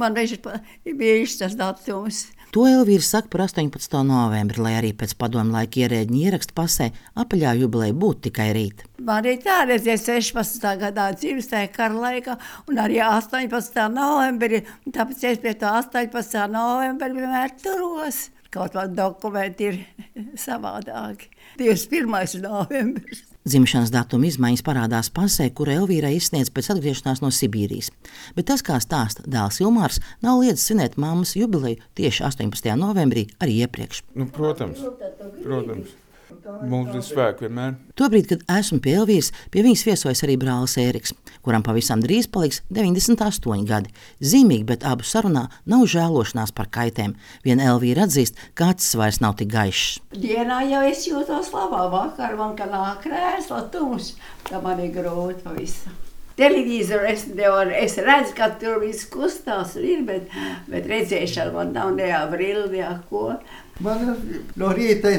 Man viņš ir bijis tas datums. To Elvīra saka par 18. novembri, lai arī pēc padomu laika ierēģiņa ieraksta pasē apaļā jubileja būtu tikai rīt. Man arī tā redzēja 16. gadā dzimstēja kara laikā un arī 18. novembrī, tāpēc es pie to 18. novembri vienmēr turos. Kaut vai dokumenti ir savādāki. 21. novembris. Dzimšanas datuma izmaiņas parādās pasē, kura Elvīrai izsniedz pēc atgriešanās no Sibīrijas. Bet tas, kā stāsta dēls Ilmārs, nav liedzis svinēt mammas jubileju tieši 18. novembrī arī iepriekš. Protams. Mums ir spēki vienmēr. Tobrīd, kad esmu pie Elvīras, pie viņas viesojas arī brālis Ēriks, kuram pavisam drīz paliks 98 gadi. Zīmīgi, bet abu sarunā nav žēlošanās par kaitēm. Vien Elvīra atzīst, ka acis vairs nav tik gaišs. Dienā jau es jūtos labā, vakar man kā nāk krēsla tums, tā man ir grūti pavisam. Televizoru es redzu, ka tur viss kustās ir, bet redzēšana man nav nejā brildi, ko. Man no rīta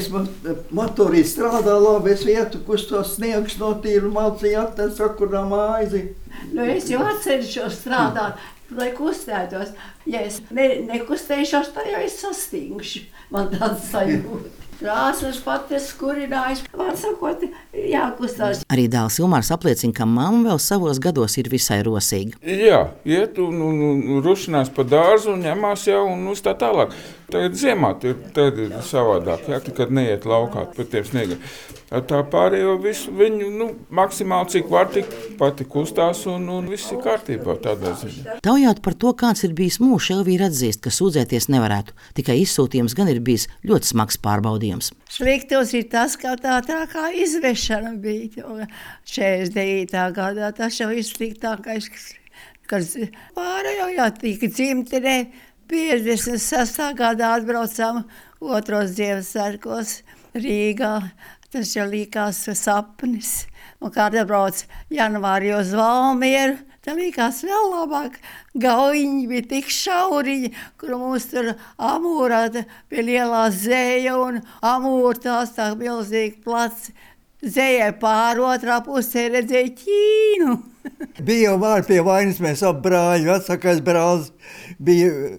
motorī strādā labi, es vietu, kustos sniegs notīru, malcīju atnes sakurā māizi. Es jau atceļšos strādāt, lai kustētos. Ja es nekustēšos, tad jau es sastingšu. Man tāds sajūta. Krāsas paties kurinājis, var sakot, jākustās. Arī dēls Ilmārs apliecina, ka mamma vēl savos gados ir visai rosīga. Jā, iet un rušinās pa dārzu un ņemās jau un uz tā tālāk. Tagad ziemā tad ir savādāk, kad neiet laukā pa tiem sniegiem. Tā pārējo visu viņu, maksimāli cik var tik pati kustās un viss ir kārtībā tādā ziņā. Taujāt par to, kāds ir bijis mūžs, Elvīra atzīst, ka sūdzēties nevarētu. Tikai izsūtījums gan ir bijis ļoti smags pārbaudījums. Sliktos ir tas, ka tā kā izvešana bija 49. gadā. Tas jau ir sliktākais, kas pārējo tika dzimtenē. 56. gadā atbraucām 2. Ziemassvētkos Rīgā. Tas jau likās sapnis. Un kā atbrauc janvārī uz Valmieru, tad likās vēl labāk. Gaujiņi bija tik šauriņi, kur mums tur Amūrā pie lielā zēja un Amūra tās tā milzīgi plats. Zējai pār otrā pusē redzēja Ķīnu. Bija jau māri pie vainas, mēs ap brāļi, vecākais brālis bija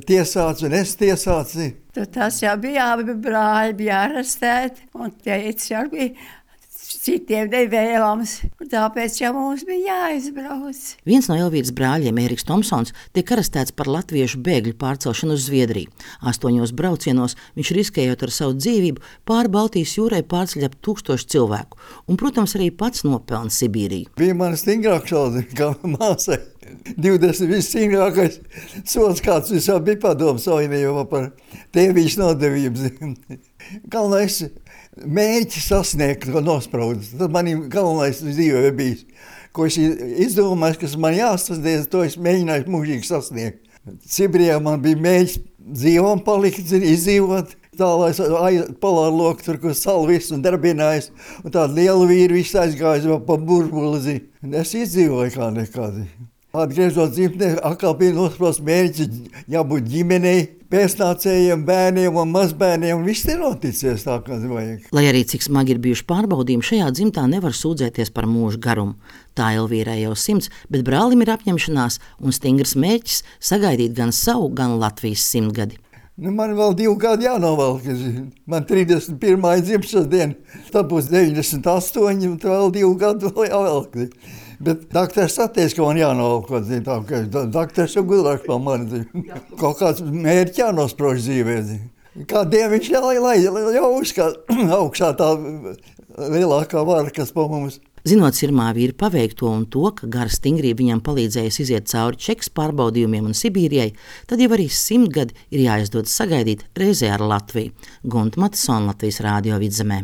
tiesāts un es tiesāts. Tas jau bija, abi brāļi bija arestēti un teica, jau bija citiem nevēlams. Tāpēc jau mums bija jāizbrauc. Viens no Elvīras brāļiem, Ēriks Tomsons, tiek arestēts par latviešu bēgļu pārcelšanu uz Zviedriju. 8 braucienos viņš riskējot ar savu dzīvību pāri Baltijas jūrai pārceļ ap 1000 cilvēku. Un, protams, arī pats nopelna Sibīriju. Bija man stingrāk šādi, kā māsai. 20 visstingrākais sots, kāds visā bija padomu savienībā par tēvīšu nodevību. Galvenais mērķi sasniegt, ko nospraudis. Tas man galvenais dzīvē bijis. Ko es izdomāju, kas man jāsasniedz, to es mēģināju mūžīgi sasniegt. Sibīrijā man bija mērķis dzīvām palikt, izdzīvot. Tā, lai es polāru loku tur, kur salu visu un darbinājis. Un tādu lielu vīru visu aizgājis pa burbuli. Es izdzīvoju kā nekādi. Atgriežot dzimtenē, atkal bija nospraust mērķi, jābūt ģimenei, pēcnācējiem, bērniem un mazbērniem, un viss ir noticies tā, kā vajag. Lai arī cik smagi ir bijuši pārbaudījumi, šajā dzimtā nevar sūdzēties par mūža garumu. Tā Elvīrai jau 100, bet brālim ir apņemšanās un stingrs mērķis sagaidīt gan savu, gan Latvijas 100 gadi. Man vēl 2 gadi jānovelk. Man 31. dzimšanas diena, tad būs 98, un vēl 2 gadi vēl jāvelk. Bet doktors atteica, ka man jānovelk. Doktors jau gudrāk par mani. Kaut kāds mērķi jānosprauž dzīvē. Kādiem viņš jau augšā tā lielākā vara, kas pa mums. Zinot sirmā vīra paveikto un to, ka gara stingrība viņam palīdzējusi iziet cauri Čekas pārbaudījumiem un Sibīrijai, tad jau arī 100 gadi ir jāizdodas sagaidīt reizē ar Latviju. Gunta Matisona, Latvijas Rādio Vidzemē.